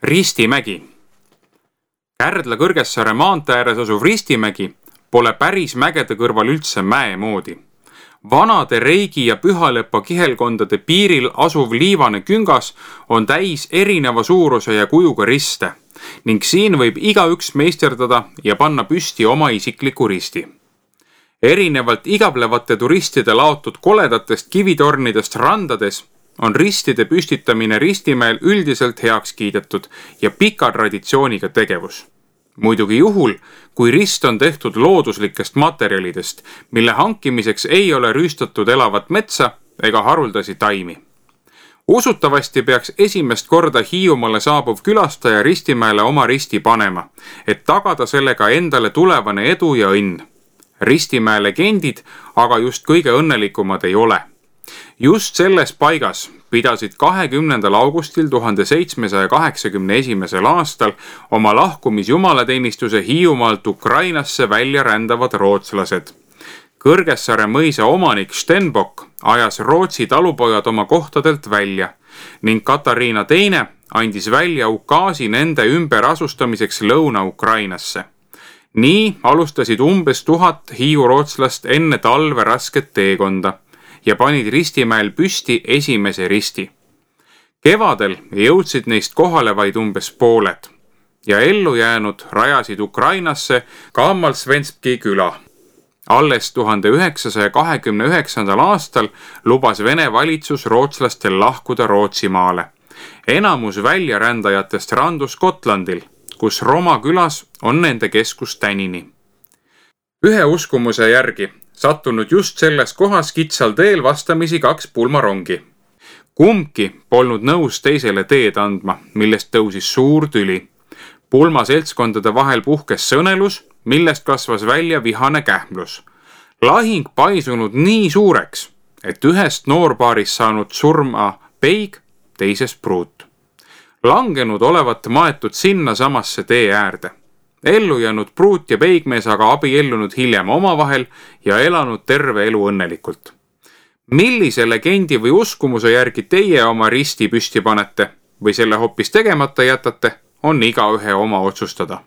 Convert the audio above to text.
Ristimägi. Kärdla Kõrgessaare maantee ääres asuv Ristimägi pole päris mägede kõrval üldse mäe moodi. Vanade Reigi ja Pühalepa kihelkondade piiril asuv liivane küngas on täis erineva suuruse ja kujuga riste ning siin võib igaüks meisterdada ja panna püsti oma isikliku risti. Erinevalt igablevate turistide laotud koledatest kivitornidest randades on ristide püstitamine Ristimäel üldiselt heaks kiidetud ja pika traditsiooniga tegevus. Muidugi juhul, kui rist on tehtud looduslikest materjalidest, mille hankimiseks ei ole rüüstatud elavat metsa ega haruldasi taimi. Usutavasti peaks esimest korda Hiiumaale saabuv külastaja Ristimäele oma risti panema, et tagada sellega endale tulevane edu ja õnn. Ristimäe legendid aga just kõige õnnelikumad ei ole. Just selles paigas pidasid 20. augustil 1781. aastal oma lahkumisjumalateenistuse Hiiumaalt Ukrainasse välja rändavad rootslased. Kõrgessaare mõisa omanik Stenbock ajas Rootsi talupojad oma kohtadelt välja ning Katariina II andis välja ukaasi nende ümberasustamiseks Lõuna-Ukrainasse. Nii alustasid umbes 1000 hiiurootslast enne talve rasket teekonda ja panid Ristimäel püsti esimese risti. Kevadel jõudsid neist kohale vaid umbes pooled ja ellu jäänud rajasid Ukrainasse Kaammalsvenski küla. Alles 1929. aastal lubas Vene valitsus rootslastel lahkuda Rootsimaale. Enamus väljarändajatest randus Gotlandil, kus Roma külas on nende keskus tänini. Ühe uskumuse järgi sattunud just selles kohas kitsal teel vastamisi 2 pulmarongi. Kumbki polnud nõus teisele teed andma, millest tõusis suur tüli. Pulma seltskondade vahel puhkes sõnelus, millest kasvas välja vihane kähmlus. Lahing paisunud nii suureks, et ühest noorpaarist saanud surma peig, teisest pruut. Langenud olevat maetud sinna samasse tee äärde. Ellu jäänud pruut ja peigmees aga abiellunud hiljem omavahel ja elanud terve elu õnnelikult. Millise legendi või uskumuse järgi teie oma risti püsti panete või selle hoopis tegemata jätate, on igaühe oma otsustada.